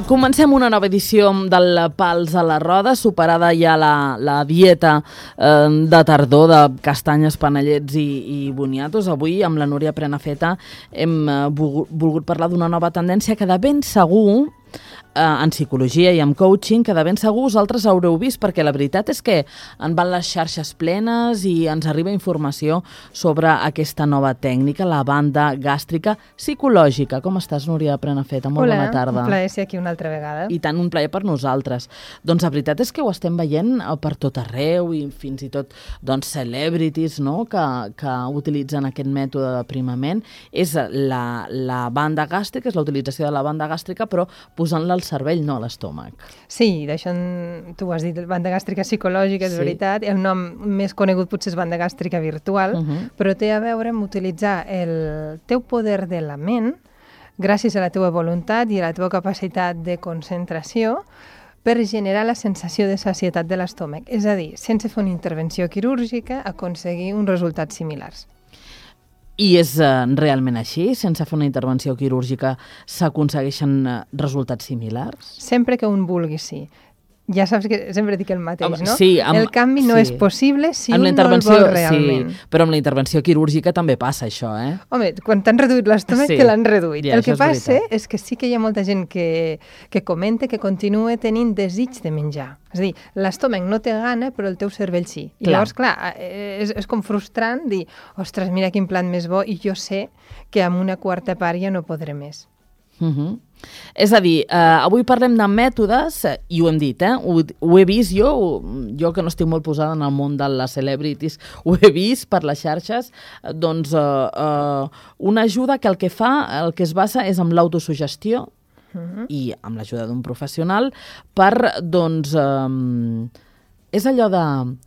Comencem una nova edició del Pals a la Roda, superada ja la dieta de tardor de castanyes, panellets i boniatos. Avui, amb la Núria Prenafeta, hem volgut parlar d'una nova tendència que de ben segur, en psicologia i en coaching, que de ben segur vosaltres haureu vist, perquè la veritat és que en van les xarxes plenes i ens arriba informació sobre aquesta nova tècnica, la banda gàstrica psicològica. Com estàs, Núria Prenafeta? Molt bona tarda. Hola, un plaer ser aquí una altra vegada. I tant, un plaer per nosaltres. Doncs la veritat és que ho estem veient per tot arreu i fins i tot celebrities, no?, que utilitzen aquest mètode d'aprimament. És la banda gàstrica, és la utilització de la banda gàstrica, però posant-la al cervell, no a l'estómac. Sí, d'això tu has dit, banda gàstrica psicològica, és veritat. El nom més conegut potser és banda gàstrica virtual, però té a veure amb utilitzar el teu poder de la ment, gràcies a la teva voluntat i a la teva capacitat de concentració, per generar la sensació de sacietat de l'estómac. És a dir, sense fer una intervenció quirúrgica, aconseguir uns resultats similars. I és realment així? Sense fer una intervenció quirúrgica s'aconsegueixen resultats similars? Sempre que un vulgui, sí. Ja saps que sempre dic el mateix, no? Sí, el canvi no és possible si un no el vol realment. Sí, però amb la intervenció quirúrgica també passa això, eh? Home, quan t'han reduït l'estómac, te l'han reduït. Ja, el que passa és que sí que hi ha molta gent que comenta que continua tenint desig de menjar. És a dir, l'estómac no té gana, però el teu cervell sí. I llavors, clar, és com frustrant dir, ostres, mira quin plat més bo, i jo sé que amb una quarta part ja no podré més. És a dir, avui parlem de mètodes, i ho hem dit, ho he vist jo que no estic molt posada en el món de les celebrities, ho he vist per les xarxes, doncs una ajuda que el que es basa és en l'autosugestió i amb l'ajuda d'un professional per, doncs, és allò de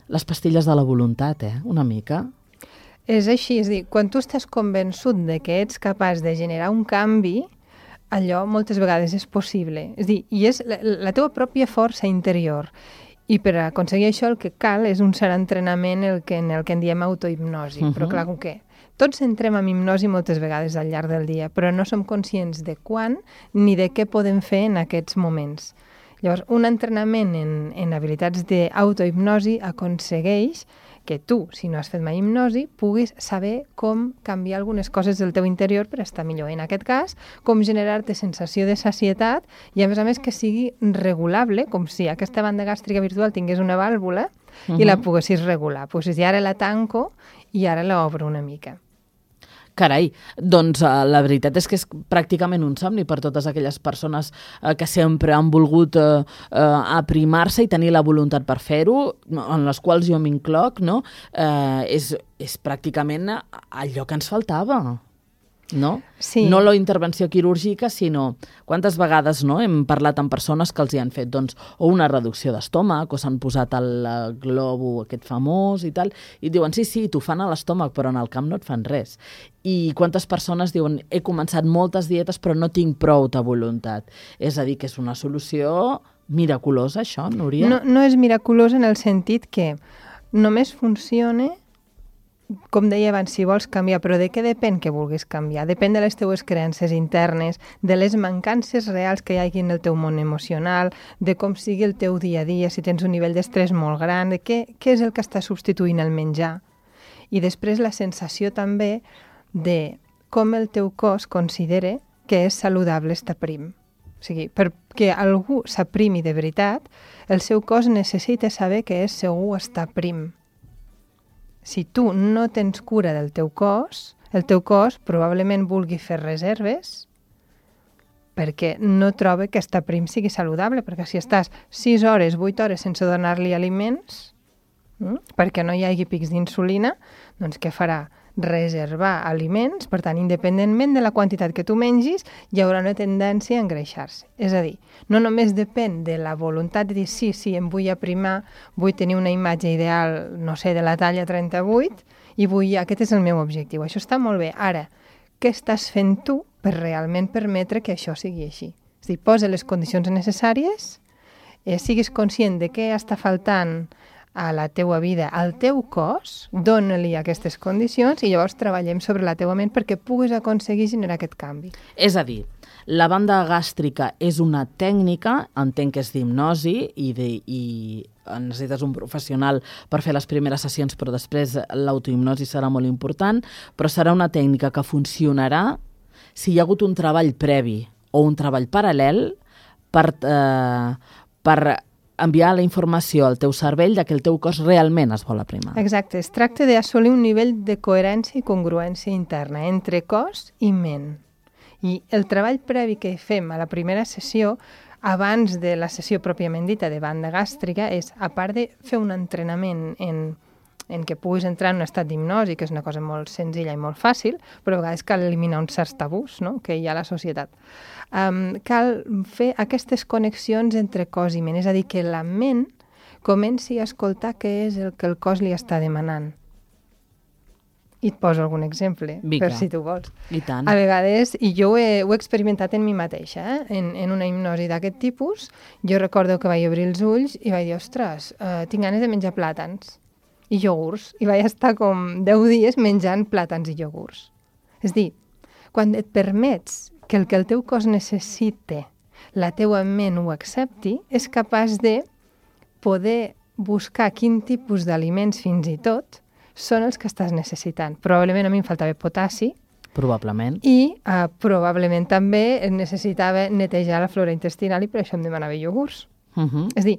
les pastilles de la voluntat, una mica. És així, és a dir, quan tu estàs convençut de que ets capaç de generar un canvi, allò moltes vegades és possible. És a dir, i és la teva pròpia força interior. I per aconseguir això el que cal és un cert entrenament en el que en diem autohipnosi. Però clar, com que tots entrem en hipnosi moltes vegades al llarg del dia, però no som conscients de quan ni de què podem fer en aquests moments. Llavors, un entrenament en habilitats d'autohipnosi aconsegueix que tu, si no has fet mai hipnosi, puguis saber com canviar algunes coses del teu interior per estar millor. En aquest cas, com generar-te sensació de sacietat i, a més, que sigui regulable, com si aquesta banda gàstrica virtual tingués una vàlvula i la poguessis regular. Poguessis dir, ara la tanco i ara l'obro una mica. Carai, doncs la veritat és que és pràcticament un somni per totes aquelles persones que sempre han volgut aprimar-se i tenir la voluntat per fer-ho, en les quals jo m'incloc, no? És pràcticament allò que ens faltava, no? Sí. No la intervenció quirúrgica, sinó quantes vegades hem parlat amb persones que els hi han fet o una reducció d'estómac o s'han posat el globo aquest famós i tal, i diuen sí, t'ho fan a l'estómac, però en el camp no et fan res. I quantes persones diuen he començat moltes dietes però no tinc prou de voluntat. És a dir, que és una solució miraculosa, això, Núria? No és miraculosa en el sentit que només funciona, com deia abans, si vols canviar, però de què depèn que vulguis canviar? Depèn de les teues creences internes, de les mancances reals que hi hagi en el teu món emocional, de com sigui el teu dia a dia, si tens un nivell d'estrès molt gran, de què és el que està substituint el menjar. I després la sensació també de com el teu cos considera que és saludable estar prim. O sigui, perquè algú s'aprimi de veritat, el seu cos necessita saber que és segur estar prim. Si tu no tens cura del teu cos, el teu cos probablement vulgui fer reserves perquè no troba que estar prim sigui saludable, perquè si estàs 6 hores, 8 hores sense donar-li aliments, perquè no hi hagi pics d'insulina, doncs què farà? Reservar aliments, per tant, independentment de la quantitat que tu mengis, hi haurà una tendència a engreixar-se. És a dir, no només depèn de la voluntat de dir sí, em vull aprimar, vull tenir una imatge ideal, no sé, de la talla 38, i aquest és el meu objectiu. Això està molt bé. Ara, què estàs fent tu per realment permetre que això sigui així? És a dir, posa les condicions necessàries, siguis conscient de què està faltant a la teua vida, al teu cos, dona-li aquestes condicions i llavors treballem sobre la teua ment perquè puguis aconseguir generar aquest canvi. És a dir, La banda gàstrica és una tècnica, entenc que és d'hipnosi i necessites un professional per fer les primeres sessions, però després l'autohipnosi serà molt important, però serà una tècnica que funcionarà si hi ha hagut un treball previ o un treball paral·lel per enviar la informació al teu cervell de que el teu cos realment es vol aprimar. Exacte, es tracta d'assolir un nivell de coherència i congruència interna entre cos i ment. I el treball previ que fem a la primera sessió, abans de la sessió pròpiament dita de banda gàstrica, és, a part de fer un entrenament en què puguis entrar en un estat d'hipnosi, que és una cosa molt senzilla i molt fàcil, però a vegades cal eliminar uns certs tabús, no?, que hi ha a la societat. Cal fer aquestes connexions entre cos i ment, és a dir, que la ment comenci a escoltar què és el que el cos li està demanant. I et poso algun exemple, per si tu vols. I tant. A vegades, i jo ho he experimentat en mi mateixa, en una hipnosi d'aquest tipus, jo recordo que vaig obrir els ulls i vaig dir, ostres, tinc ganes de menjar plàtans i iogurts, i vaig estar com 10 dies menjant plàtans i iogurts. És dir, quan et permets que el teu cos necessite, la teua ment ho accepti, és capaç de poder buscar quin tipus d'aliments fins i tot són els que estàs necessitant. Probablement a mi em faltava potassi. Probablement. I probablement també necessitava netejar la flora intestinal i per això em demanava iogurts. És dir,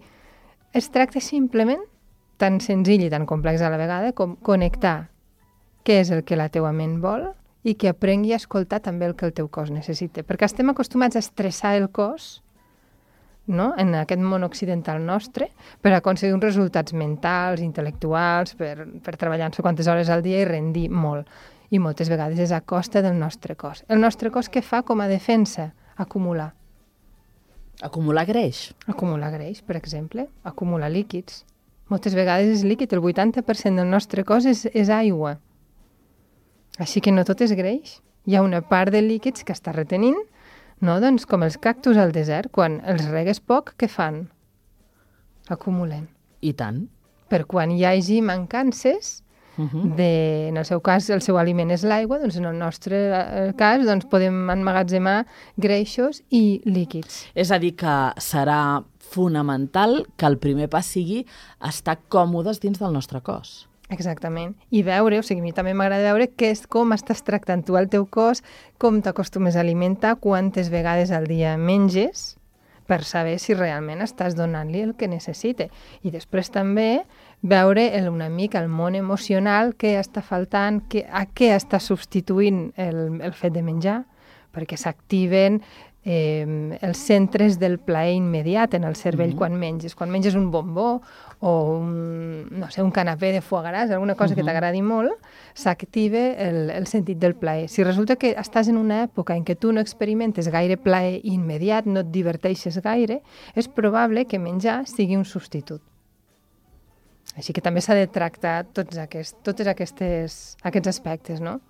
es tracta simplement, tan senzill i tan complex a la vegada, com connectar què és el que la teua ment vol i que aprengui a escoltar també el que el teu cos necessita. Perquè estem acostumats a estressar el cos, no?, en aquest món occidental nostre, per aconseguir uns resultats mentals, intel·lectuals, per treballar no sé quantes hores al dia i rendir molt. I moltes vegades és a costa del nostre cos. El nostre cos què fa com a defensa? Acumular. Acumular greix. Acumular greix, per exemple. Acumular líquids. Moltes vegades és líquid. El 80% del nostre cos és aigua. Així que no tot és greix. Hi ha una part de líquids que està retenint, no? Doncs com els cactus al desert, quan els regues poc, què fan? Acumulen. I tant. Per quan hi hagi mancances, en el seu cas el seu aliment és l'aigua, doncs en el nostre cas doncs podem emmagatzemar greixos i líquids. És a dir, que serà fonamental que el primer pas sigui estar còmodes dins del nostre cos. Exactament. I veure, o sigui, a mi també m'agrada veure com estàs tractant tu el teu cos, com t'acostumes a alimentar, quantes vegades al dia menges, per saber si realment estàs donant-li el que necessita. I després també veure una mica el món emocional, què està faltant, a què està substituint el fet de menjar, perquè s'activen els centres del plaer immediat en el cervell quan menges. Quan menges un bombó o un canapé de foie gras, alguna cosa que t'agradi molt, s'activa el sentit del plaer. Si resulta que estàs en una època en què tu no experimentes gaire plaer immediat, no et diverteixes gaire, és probable que menjar sigui un substitut. Així que també s'ha de tractar tots aquests aspectes, no?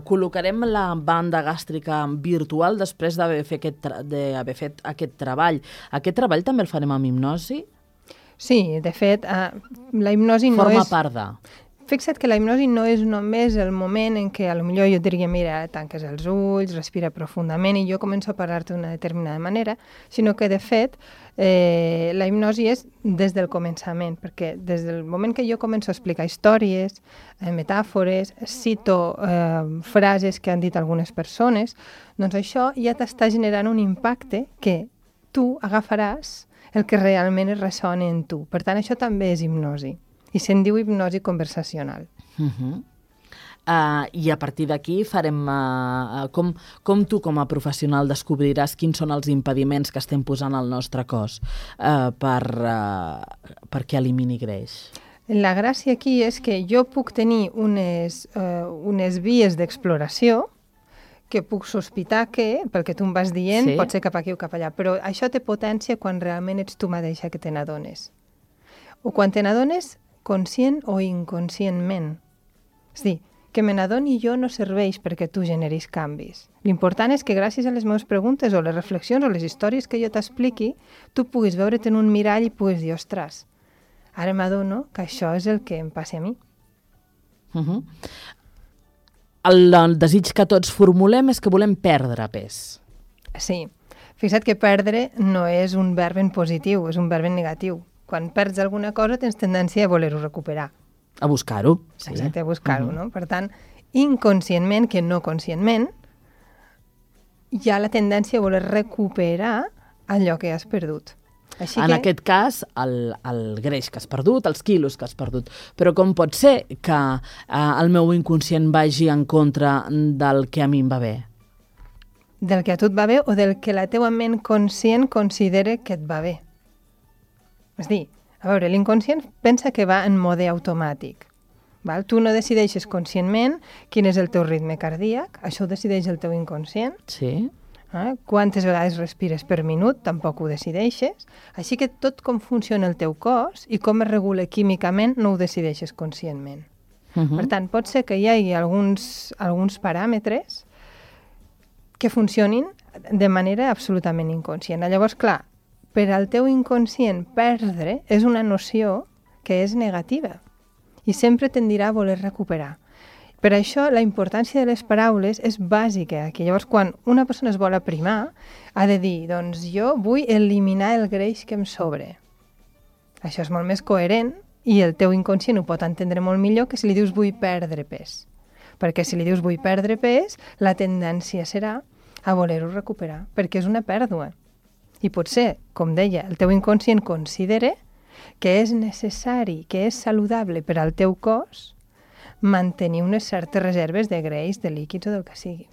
Col·locarem la banda gàstrica virtual després d'haver fet aquest treball. Aquest treball també el farem amb hipnosi? Sí, de fet, la hipnosi no és... Forma part de... Fixa't que la hipnosi no és només el moment en què potser jo et diria, mira, tanques els ulls, respira profundament i jo començo a parlar-te d'una determinada manera, sinó que, de fet, la hipnosi és des del començament, perquè des del moment que jo començo a explicar històries, metàfores, cito frases que han dit algunes persones, doncs això ja t'està generant un impacte que tu agafaràs el que realment es ressona en tu. Per tant, això també és hipnosi. I se'n diu hipnosi conversacional. I a partir d'aquí farem... Com tu, com a professional, descobriràs quins són els impediments que estem posant al nostre cos perquè elimini greix? La gràcia aquí és que jo puc tenir unes vies d'exploració que puc sospitar que, pel que tu em vas dient, pot ser cap aquí o cap allà, però això té potència quan realment ets tu mateixa que te n'adones. O quan te n'adones conscient o inconscientment. És a dir, que me n'adoni jo no serveix perquè tu generis canvis. L'important és que gràcies a les meves preguntes o les reflexions o les històries que jo t'expliqui, tu puguis veure't en un mirall i puguis dir, ostres, ara m'adono que això és el que em passa a mi. el desig que tots formulem és que volem perdre pes. Sí. Fixa't que perdre no és un verb en positiu, és un verb en negatiu. Quan perds alguna cosa tens tendència a voler-ho recuperar. A buscar-ho. Sí. Exacte, a buscar-ho, no? Per tant, inconscientment, que no conscientment, hi ha la tendència a voler recuperar allò que has perdut. Així en aquest cas, el greix que has perdut, els quilos que has perdut. Però com pot ser que el meu inconscient vagi en contra del que a mi em va bé? Del que a tu et va bé o del que la teua ment conscient considera que et va bé. És a dir, a veure, l'inconscient pensa que va en mode automàtic. Val? Tu no decideixes conscientment quin és el teu ritme cardíac, això ho decideix el teu inconscient. Sí. Quantes vegades respires per minut, tampoc ho decideixes. Així que tot com funciona el teu cos i com es regula químicament no ho decideixes conscientment. Per tant, pot ser que hi hagi alguns paràmetres que funcionin de manera absolutament inconscient. Llavors, clar, per al teu inconscient perdre és una noció que és negativa i sempre tendirà a voler recuperar. Per això, la importància de les paraules és bàsica aquí. Llavors, quan una persona es vol aprimar, ha de dir, doncs jo vull eliminar el greix que em sobre. Això és molt més coherent i el teu inconscient ho pot entendre molt millor que si li dius vull perdre pes. Perquè si li dius vull perdre pes, la tendència serà a voler-ho recuperar, perquè és una pèrdua. I potser, com deia, el teu inconscient considera que és necessari, que és saludable per al teu cos mantenir unes certes reserves de greix, de líquids o del que sigui.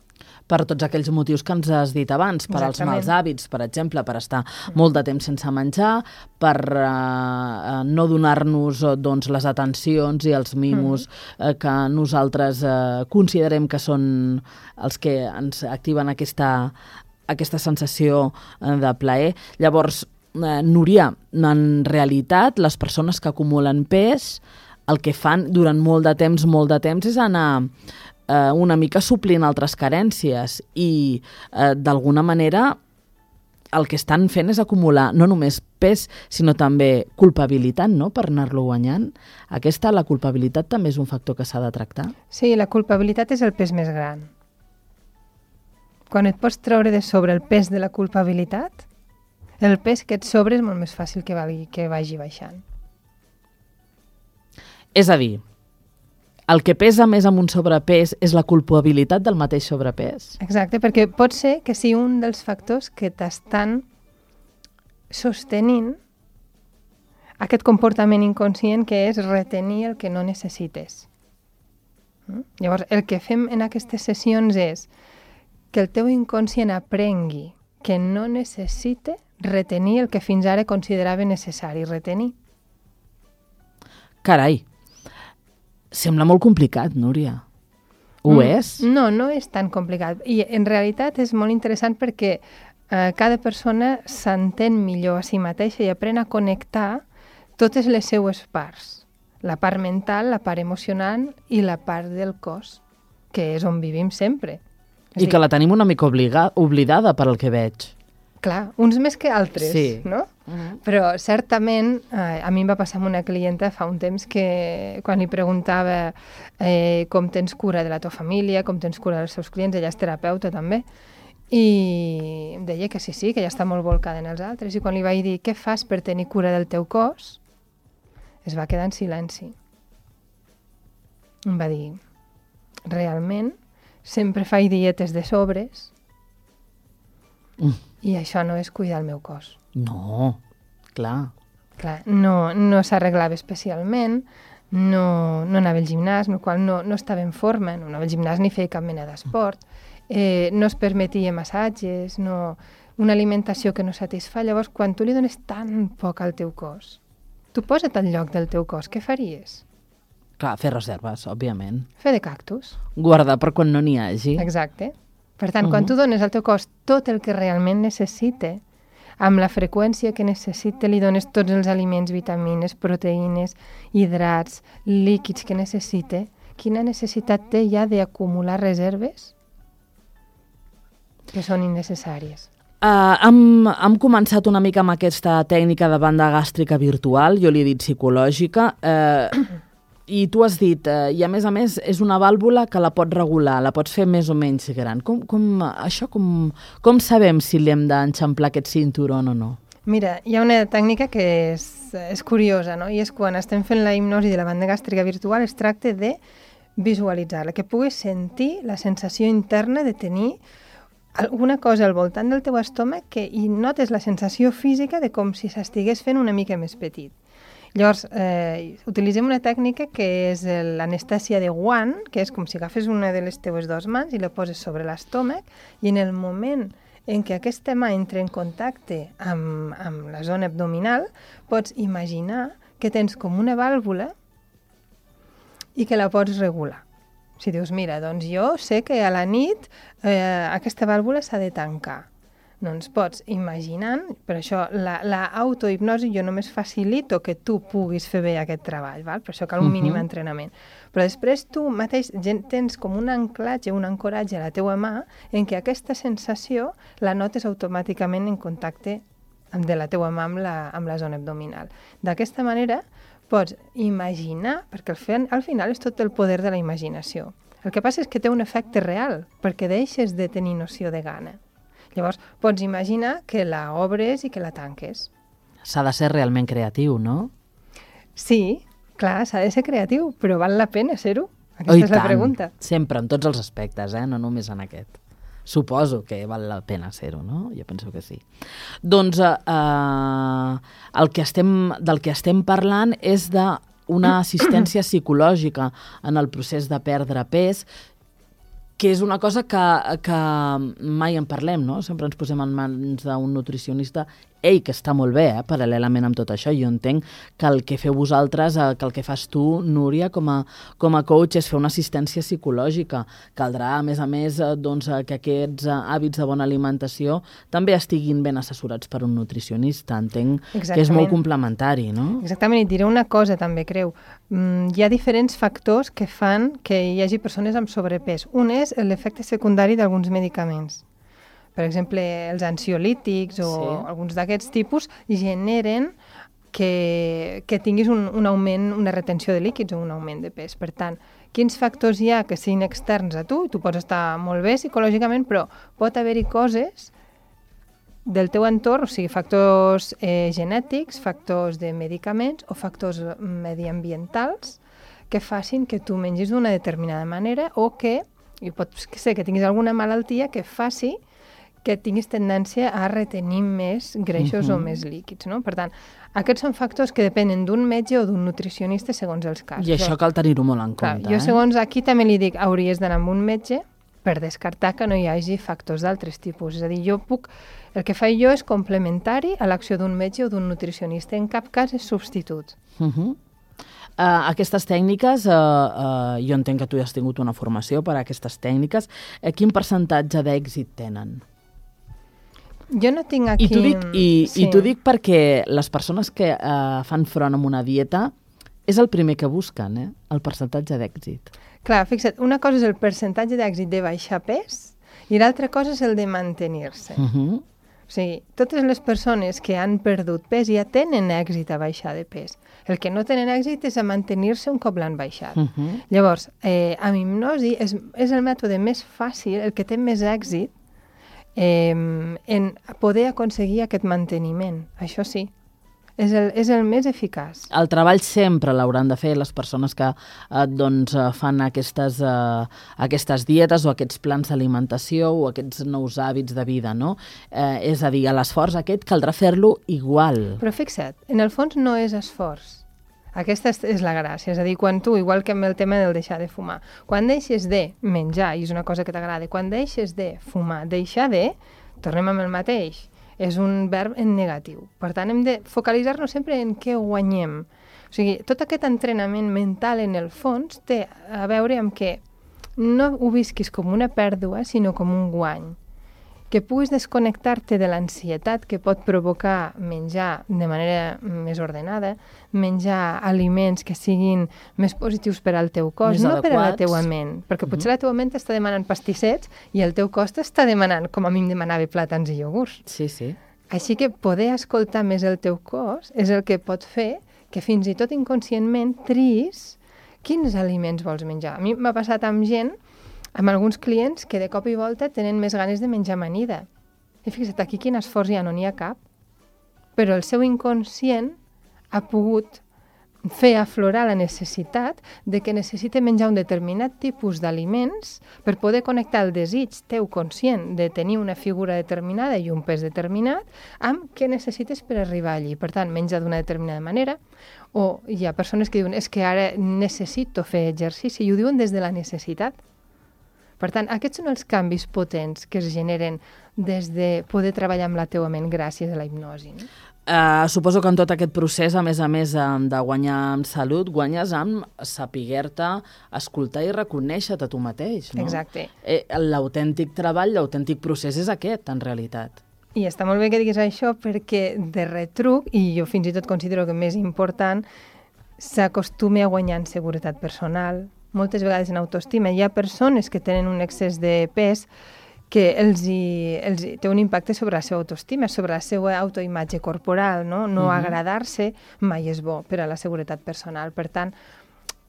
Per tots aquells motius que ens has dit abans, per als mals hàbits, per exemple, per estar molt de temps sense menjar, per no donar-nos doncs, les atencions i els mimos que nosaltres considerem que són els que ens activen aquesta sensació de plaer. Llavors, Núria, en realitat, les persones que acumulen pes, el que fan durant molt de temps és anar una mica suplint altres carències i d'alguna manera el que estan fent és acumular no només pes sinó també culpabilitat, no?, per anar-lo guanyant. La culpabilitat també és un factor que s'ha de tractar? Sí, la culpabilitat és el pes més gran. Quan et pots treure de sobre el pes de la culpabilitat, el pes que et sobre és molt més fàcil que vagi baixant. És a dir, el que pesa més amb un sobrepès és la culpabilitat del mateix sobrepès? Exacte, perquè pot ser que sigui un dels factors que t'estan sostenint aquest comportament inconscient que és retenir el que no necessites. Llavors, el que fem en aquestes sessions és que el teu inconscient aprengui que no necessita retenir el que fins ara considerava necessari retenir. Carai, sembla molt complicat, Núria. Ho és? No, no és tan complicat. I en realitat és molt interessant perquè cada persona s'entén millor a si mateixa i aprèn a connectar totes les seues parts. La part mental, la part emocional i la part del cos, que és on vivim sempre. I que la tenim una mica oblidada per el que veig. Clar, uns més que altres, sí. No? Però certament, a mi em va passar amb una clienta fa un temps que quan li preguntava com tens cura de la teva família, com tens cura dels seus clients, ella és terapeuta també, i em deia que sí, que ella està molt volcada en els altres, i quan li vaig dir què fas per tenir cura del teu cos, es va quedar en silenci. Em va dir, realment, sempre faig dietes de sobres, i això no és cuidar el meu cos. No, clar. Clar, no s'arreglava especialment, no anava al gimnàs, amb el qual no estava en forma, no anava al gimnàs ni feia cap mena d'esport, no es permetia massatges, una alimentació que no satisfà. Llavors, quan tu li dones tan poc al teu cos, tu posa't al lloc del teu cos, què faries? Clar, fer reserves, òbviament. Fer de cactus. Guardar per quan no n'hi hagi. Exacte. Per tant, quan tu dones al teu cos tot el que realment necessita, amb la freqüència que necessita, li dones tots els aliments, vitamines, proteïnes, hidrats, líquids que necessita, quina necessitat té ja d'acumular reserves que són innecessàries? Hem començat una mica amb aquesta tècnica de banda gàstrica virtual, jo li he dit psicològica. I tu has dit, i a més és una vàlvula que la pots regular, la pots fer més o menys gran. Com sabem si li hem d'enxamplar aquest cinturon o no? Mira, hi ha una tècnica que és curiosa, no? I és quan estem fent la hipnosi de la banda gàstrica virtual, es tracta de visualitzar-la, que puguis sentir la sensació interna de tenir alguna cosa al voltant del teu estómac i notes la sensació física de com si s'estigués fent una mica més petit. Llavors, utilitzem una tècnica que és l'anestèsia de guant, que és com si agafes una de les teves dues mans i la poses sobre l'estómac, i en el moment en què aquesta mà entra en contacte amb la zona abdominal, pots imaginar que tens com una vàlvula i que la pots regular. Si dius, mira, doncs jo sé que a la nit aquesta vàlvula s'ha de tancar. Doncs pots imaginant, per això l'autohipnosi jo només facilito que tu puguis fer bé aquest treball, val? Per això cal un mínim entrenament. Però després tu mateix tens com un anclatge, un ancoratge a la teua mà en què aquesta sensació la notes automàticament en contacte de la teua mà amb la zona abdominal. D'aquesta manera pots imaginar, perquè al final és tot el poder de la imaginació. El que passa és que té un efecte real, perquè deixes de tenir noció de gana. Llavors, pots imaginar que la obres i que la tanques. S'ha de ser realment creatiu, no? Sí, clar, s'ha de ser creatiu, però val la pena ser-ho? Aquesta és la pregunta. Sempre, en tots els aspectes, no només en aquest. Suposo que val la pena ser-ho, no? Jo penso que sí. Doncs del que estem parlant és d'una assistència psicològica en el procés de perdre pes, que és una cosa que mai en parlem, no? Sempre ens posem en mans d'un nutricionista, que està molt bé, paral·lelament amb tot això. Jo entenc que el que feu vosaltres, que el que fas tu, Núria, com a coach, és fer una assistència psicològica. Caldrà, a més, doncs, que aquests hàbits de bona alimentació també estiguin ben assessorats per un nutricionista. Entenc que és molt complementari, no? Exactament, i et diré una cosa també, Creu. Hi ha diferents factors que fan que hi hagi persones amb sobrepès. Un és l'efecte secundari d'alguns medicaments. Per exemple, els ansiolítics o alguns d'aquests tipus generen que tinguis un augment, una retenció de líquids o un augment de pes. Per tant, quins factors hi ha que siguin externs a tu? Tu pots estar molt bé psicològicament, però pot haver-hi coses del teu entorn, o sigui, factors genètics, factors de medicaments o factors mediambientals que facin que tu mengis d'una determinada manera o que pot ser que tinguis alguna malaltia que faci que tinguis tendència a retenir més greixos o més líquids, no? Per tant, aquests són factors que depenen d'un metge o d'un nutricionista segons els casos. I això cal tenir-ho molt en compte. Jo segons aquí també li dic, hauries d'anar amb un metge per descartar que no hi hagi factors d'altres tipus. És a dir, el que faig jo és complementari a l'acció d'un metge o d'un nutricionista. En cap cas és substitut. Aquestes tècniques, jo entenc que tu ja has tingut una formació per a aquestes tècniques. Quin percentatge d'èxit tenen? Jo no tinc aquí... I t'ho dic perquè les persones que fan front amb una dieta és el primer que busquen, el percentatge d'èxit. Clar, fixa't, una cosa és el percentatge d'èxit de baixar pes i l'altra cosa és el de mantenir-se. O sigui, totes les persones que han perdut pes ja tenen èxit a baixar de pes. El que no tenen èxit és a mantenir-se un cop l'han baixat. Llavors, amb hipnosi és el mètode més fàcil, el que té més èxit, en poder aconseguir aquest manteniment. Això sí, és el més eficaç. El treball sempre l'hauran de fer les persones que fan aquestes dietes o aquests plans d'alimentació o aquests nous hàbits de vida, no? És a dir, l'esforç aquest caldrà fer-lo igual. Però fixa't, en el fons no és esforç. Aquesta és la gràcia, és a dir, quan tu, igual que amb el tema del deixar de fumar, quan deixes de menjar, i és una cosa que t'agrada, quan deixes de fumar, deixar de, tornem amb el mateix, és un verb en negatiu. Per tant, hem de focalitzar-nos sempre en què guanyem. O sigui, tot aquest entrenament mental, en el fons, té a veure amb que no ho visquis com una pèrdua, sinó com un guany. Que puguis desconnectar-te de l'ansietat que pot provocar menjar de manera més ordenada, menjar aliments que siguin més positius per al teu cos, no per a la teua ment, perquè potser la teua ment t'està demanant pastissets i el teu cos t'està demanant, com a mi em demanava, plàtans i iogurts. Sí, sí. Així que poder escoltar més el teu cos és el que pot fer que fins i tot inconscientment triïs quins aliments vols menjar? A mi m'ha passat amb gent, amb alguns clients, que de cop i volta tenen més ganes de menjar amanida. I fixa't, aquí quin esforç hi ha, no n'hi ha cap. Però el seu inconscient ha pogut fer aflorar la necessitat de que necessite menjar un determinat tipus d'aliments per poder connectar el desig teu conscient de tenir una figura determinada i un pes determinat amb què necessites per arribar allí. Per tant, menja d'una determinada manera, o hi ha persones que diuen és que ara necessito fer exercici i ho diuen des de la necessitat. Per tant, aquests són els canvis potents que es generen des de poder treballar amb la teua ment gràcies a la hipnosi. No? Suposo que en tot aquest procés, a més de guanyar en salut, guanyes amb saber-te, escoltar i reconèixer-te a tu mateix, no? Exacte. L'autèntic treball, l'autèntic procés és aquest, en realitat. I està molt bé que diguis això perquè de retruc, i jo fins i tot considero que més important, s'acostumi a guanyar en seguretat personal. Moltes vegades en autoestima hi ha persones que tenen un excés de pes que els té un impacte sobre la seva autoestima, sobre la seva autoimatge corporal, no? No agradar-se mai és bo per a la seguretat personal. Per tant,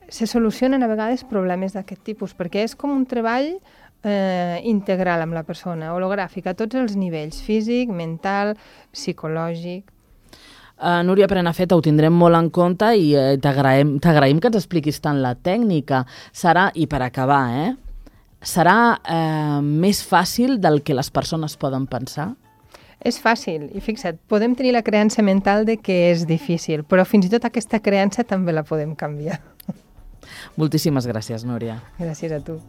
se solucionen a vegades problemes d'aquest tipus, perquè és com un treball integral amb la persona, hologràfic, a tots els nivells, físic, mental, psicològic. Núria Prenafeta, ho tindrem molt en compte i t'agraïm que ens expliquis tant la tècnica. Serà, i per acabar, serà més fàcil del que les persones poden pensar? És fàcil, i fixa't, podem tenir la creença mental de que és difícil, però fins i tot aquesta creença també la podem canviar. Moltíssimes gràcies, Núria. Gràcies a tu.